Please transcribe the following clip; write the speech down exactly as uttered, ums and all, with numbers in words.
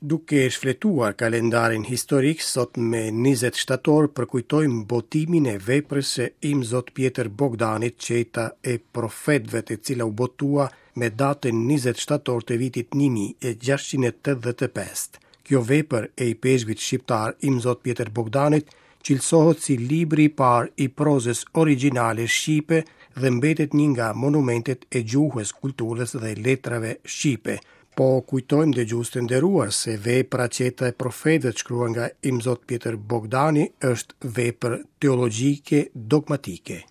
Duke shfletuar kalendarin historik, sot me njëzet shtator përkujtojmë botimin e veprës së Imzot Pjetër Bogdanit, Çeta e Profetëve, e cila u botua me datën njëzet shtator të vitit një mijë e gjashtëqind e tetëdhjetë e pesë. Kjo vepër e ipeshkvit shqiptar Imzot Pjetër Bogdanit cilësohet si libri i parë i prozës origjinale shqipe dhe mbetet një nga monumentet e gjuhës, kulturës dhe letrave shqipe. Po kujtojmë, dëgjues të nderuar, se vepra Çeta e Profetëve, shkruar nga Imzot Pjetër Bogdani, është vepër teologjike dogmatike.